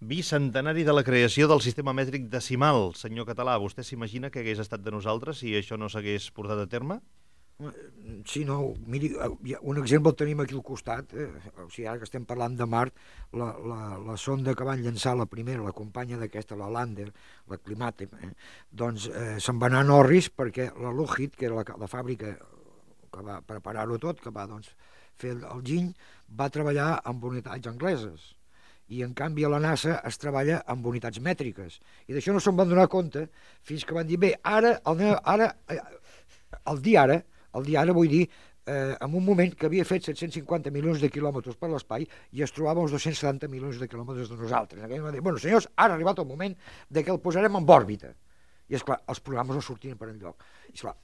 Bicentenari de la creació del sistema mètric decimal. Senyor Català, vostè s'imagina què hagués estat de nosaltres si això no s'hagués portat a terme? Sí, no, miri, un exemple el tenim aquí al costat, o sigui, ara que estem parlant de Mart, la sonda que van llançar la primera, la companya d'aquesta, la Lander, la Climatem, doncs se'n va anar a Norris perquè la Lockheed, que era la fàbrica que va preparar-ho tot, que va doncs, fer el giny, va treballar amb unitats angleses i en canvi a la NASA es treballa amb unitats mètriques i d'això no se'n van donar compte fins que van dir, bé, el dia ara vull dir, en un moment que havia fet 750 milions de quilòmetres per l'espai i es trobava uns 270 milions de quilòmetres de nosaltres. Aquell va dir, bueno, senyors, ara ha arribat el moment de que el posarem en òrbita. I, esclar, els programes no sortien per enlloc. I, esclar,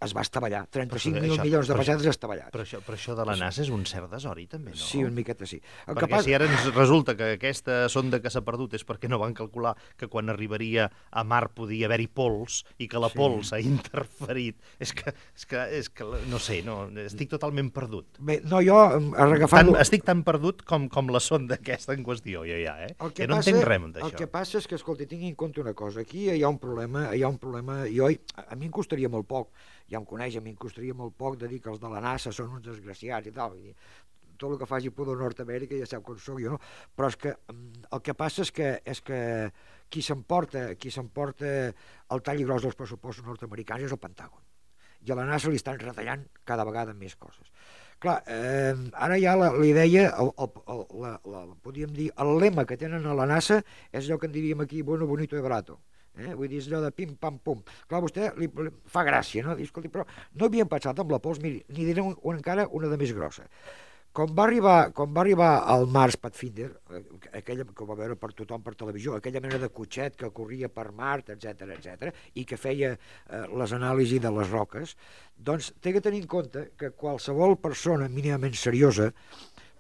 es va estavellar. 35.000 milions de pessetes estavellats. Però això de la NASA és un cert desori, també, no? Sí, una miqueta sí. Perquè si ara ens resulta que aquesta sonda que s'ha perdut és perquè no van calcular que quan arribaria a Mart podia haver-hi pols i que la pols ha interferit. És que no sé, no, estic totalment perdut. Bé, no, jo, agafant-lo... Estic tan perdut com la sonda aquesta en qüestió, jo ja, que no entenc res d'això. El que passa és que, escolta, tingui en compte una cosa. Aquí hi ha un problema, jo, a mi em costaria molt poc, ja em coneix, a mi em costaria molt poc de dir que els de la NASA són uns desgraciats i tal, tot el que faci por de Nord-Amèrica ja sap com soc jo, no? Però és que el que passa és que qui s'emporta el tall gros dels pressupostos nord-americans és el Pentàgon, i a la NASA li estan retallant cada vegada més coses. Clar, ara ja la idea, podríem dir, el lema que tenen a la NASA és allò que en diríem aquí, bueno, bonito y barato. Vull dir, és allò de pim, pam, pum. Clar, a vostè li fa gràcia, no? Diu, escolti, però no havien pensat amb la pols, miri, n'hi diré encara una de més grossa. Quan va arribar al Mars Pathfinder, aquella que ho va veure per tothom per televisió, aquella mena de cotxet que corria per Mart, etc, i que feia les anàlisis de les roques, doncs té que tenir en compte que qualsevol persona mínimament seriosa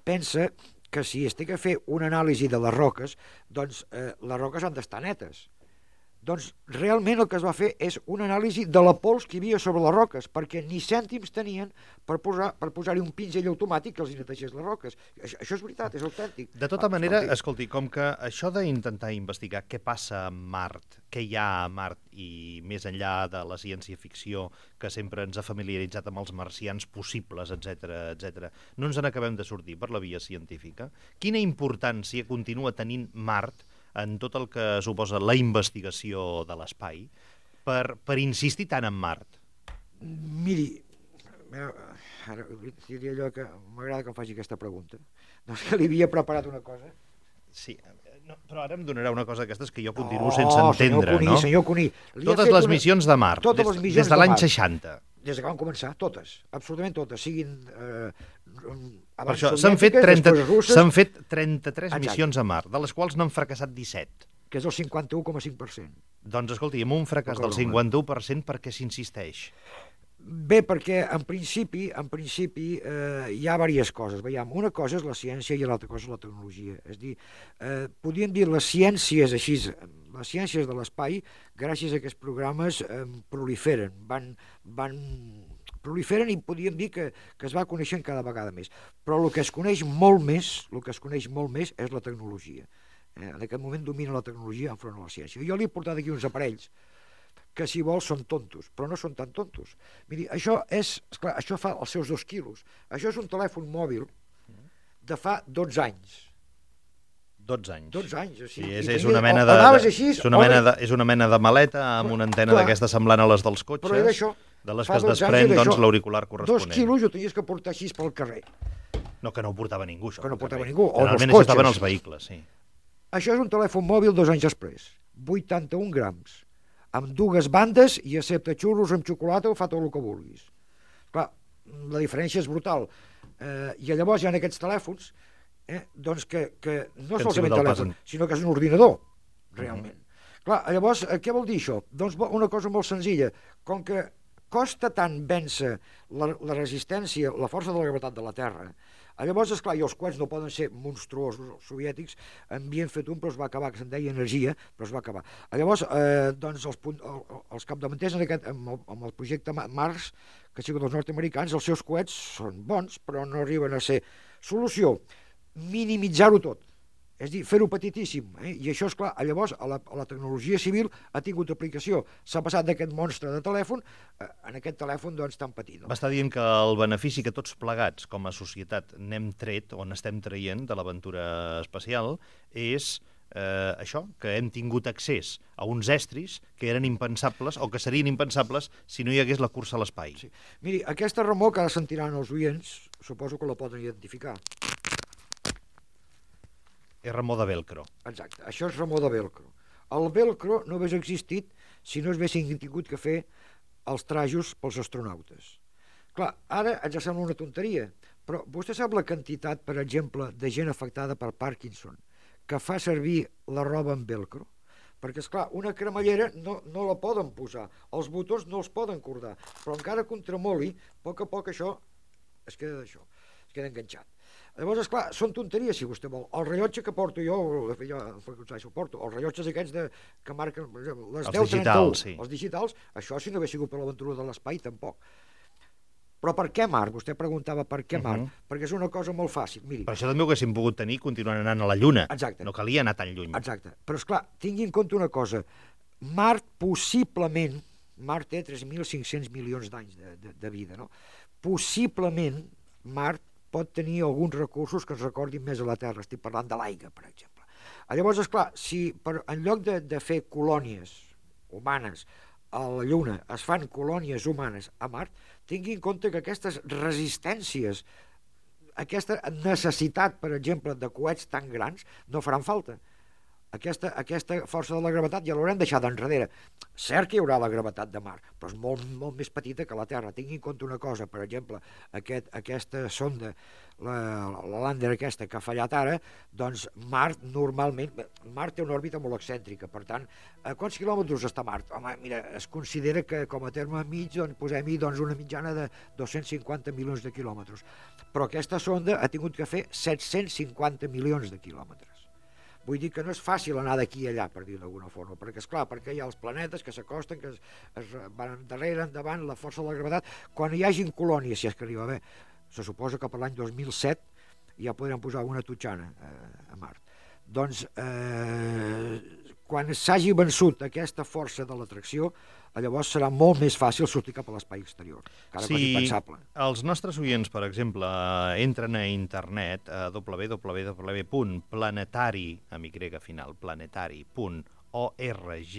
pensa que si es té que fer una anàlisi de les roques, doncs les roques han d'estar netes. Doncs realment el que es va fer és una anàlisi de la pols que hi havia sobre les roques, perquè ni cèntims tenien per posar-hi un pinzell automàtic que els netegés les roques. Això és veritat, és autèntic. De tota manera, escolti, com que això d'intentar investigar què passa a Mart, què hi ha a Mart, i més enllà de la ciència-ficció que sempre ens ha familiaritzat amb els marcians possibles, etc, no ens n'acabem de sortir per la via científica. Quina importància continua tenint Mart en tot el que suposa la investigació de l'espai per insistir tant en Mart? Miri, ara diria allò que m'agrada que em faci aquesta pregunta. No és que li havia preparat una cosa. Sí, no, però ara em donarà una cosa d'aquestes que jo continuo sense entendre, no? Senyor Cuní, totes les missions de Mart, des de l'any 60. Des que van començar, totes, absolutament totes, siguin per això s'han fet 33 missions a Mart, de les quals n'han fracassat 17. Que és el 51,5%. Doncs escolti, amb un fracàs del 51%, per què s'insisteix? Bé, perquè en principi hi ha diverses coses. Veiem, una cosa és la ciència i l'altra cosa és la tecnologia. És a dir, podríem dir les ciències així, les ciències de l'espai, gràcies a aquests programes proliferen, proliferen i podríem dir que es va coneixent cada vegada més. Però el que es coneix molt més és la tecnologia. En aquest moment domina la tecnologia enfront a la ciència. Jo li he portat aquí uns aparells que si vols són tontos, però no són tan tontos. Miri, això fa els seus 2 quilos. Això és un telèfon mòbil de fa 12 anys. 12 anys. 12 anys, o sigui. És una mena de maleta amb una antena d'aquesta semblant a les dels cotxes, de les que es desprèn l'auricular corresponent. 2 quilos ho tenies que portar així pel carrer. No, que no ho portava ningú, això. Que no ho portava ningú, o els cotxes. Generalment això estaven els vehicles, sí. Això és un telèfon mòbil 2 anys després. 81 grams. Amb 2 bandes i accepta xurros amb xocolata o fa tot el que vulguis. Clar, la diferència és brutal. I llavors hi ha aquests telèfons doncs que no solament telèfon, sinó que és un ordinador, realment. Clar, llavors, què vol dir això? Doncs una cosa molt senzilla. Com que costa tant vèncer la resistència, la força de la gravetat de la Terra, llavors, esclar, i els coets no poden ser monstruosos, els soviètics havien fet un, però es va acabar, que se'n deia energia, però es va acabar. Llavors, doncs, els capdavanters amb el projecte Mars, que ha sigut dels nord-americans, els seus coets són bons, però no arriben a ser. Solució, minimitzar-ho tot. És a dir, fer-ho petitíssim. I això, és clar, llavors a la tecnologia civil ha tingut aplicació. S'ha passat d'aquest monstre de telèfon en aquest telèfon doncs, tan petit. Va estar dient que el benefici que tots plegats com a societat n'hem tret o n'estem traient de l'aventura espacial és això, que hem tingut accés a uns estris que eren impensables o que serien impensables si no hi hagués la cursa a l'espai. Sí. Miri, aquesta remor que ara sentiran els oients, suposo que la poden identificar. És remor de velcro. Exacte, això és remor de velcro. El velcro no hagués existit si no haguessin tingut que fer els trajos pels astronautes. Clar, ara ens sembla una tonteria, però vostè sap la quantitat, per exemple, de gent afectada per Parkinson que fa servir la roba amb velcro? Perquè, esclar, una cremallera no la poden posar, els botons no els poden cordar, però encara que un tremoli, a poc això es queda d'això, es queda enganxat. Llavors, esclar, són tonteries, si vostè vol. El rellotge que porto jo porto, els rellotges aquests que marquen les 10:31, els digitals, això si no hagués sigut per l'aventura de l'espai, tampoc. Però per què Mart? Vostè preguntava per què Mart, perquè és una cosa molt fàcil. Miri, però això també ho haguéssim pogut tenir continuant anant a la Lluna. Exacte. No calia anar tan lluny. Exacte. Però, esclar, tingui en compte una cosa. Mart possiblement, Mart té 3.500 milions d'anys de vida, no? Possiblement Mart pot tenir alguns recursos que ens recordin més a la Terra. Estic parlant de l'aigua, per exemple. Llavors, esclar, si en lloc de fer colònies humanes a la Lluna es fan colònies humanes a Mart, tingui en compte que aquestes resistències, aquesta necessitat, per exemple, de coets tan grans, no faran falta. Aquesta força de la gravetat ja l'haurem deixat enrere. Cert que hi haurà la gravetat de Mart, però és molt més petita que la Terra. Tingui en compte una cosa, per exemple, aquesta sonda, la Lander aquesta que ha fallat ara, doncs Mart normalment, Mart té una òrbita molt excèntrica, per tant, a quants quilòmetres està Mart? Home, mira, es considera que com a terme mig, doncs, posem-hi una mitjana de 250 milions de quilòmetres. Però aquesta sonda ha tingut que fer 750 milions de quilòmetres. Vull dir que no és fàcil anar d'aquí a allà, per dir-ho d'alguna forma, perquè, esclar, perquè hi ha els planetes que s'acosten, que es van darrere, endavant, la força de la gravetat. Quan hi hagin colònies, si és que arriba bé, se suposa que per l'any 2007 ja podrem posar una tutxana a Mart. Doncs, quan s'hagi vençut aquesta força de l'atracció, llavors serà molt més fàcil sortir cap a l'espai exterior. Si els nostres oients, per exemple, entren a internet a www.planetari.org,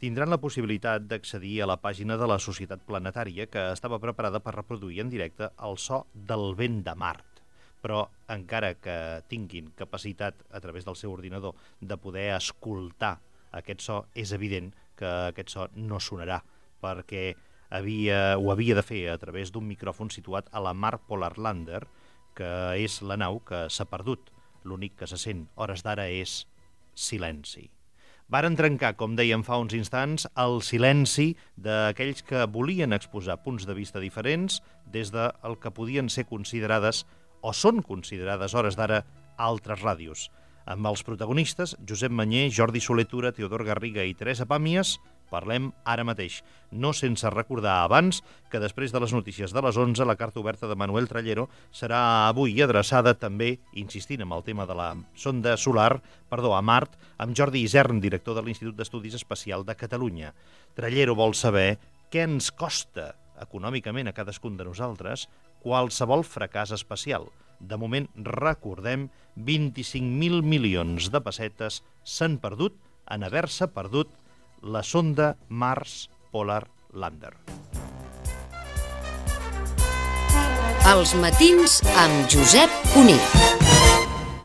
tindran la possibilitat d'accedir a la pàgina de la Societat Planetària que estava preparada per reproduir en directe el so del vent de Mart. Però encara que tinguin capacitat a través del seu ordinador de poder escoltar aquest so, és evident que aquest so no sonarà, perquè ho havia de fer a través d'un micròfon situat a la Mars Polar Lander, que és la nau que s'ha perdut. L'únic que se sent hores d'ara és silenci. Varen trencar, com dèiem fa uns instants, el silenci d'aquells que volien exposar punts de vista diferents des del que podien ser considerades o són considerades hores d'ara altres ràdios. Amb els protagonistes, Josep Manyer, Jordi Soler Tura, Teodor Garriga i Teresa Pàmies, parlem ara mateix. No sense recordar abans que després de les notícies de les 11, la carta oberta de Manuel Trallero serà avui adreçada també, insistint en el tema de la sonda solar, a Mart, amb Jordi Isern, director de l'Institut d'Estudis Espacial de Catalunya. Trallero vol saber què ens costa econòmicament a cadascun de nosaltres qualsevol fracàs espacial. De moment, recordem, 25.000 milions de pessetes s'han perdut en haver-se perdut la sonda Mars Polar Lander. Els matins amb Josep Cuní.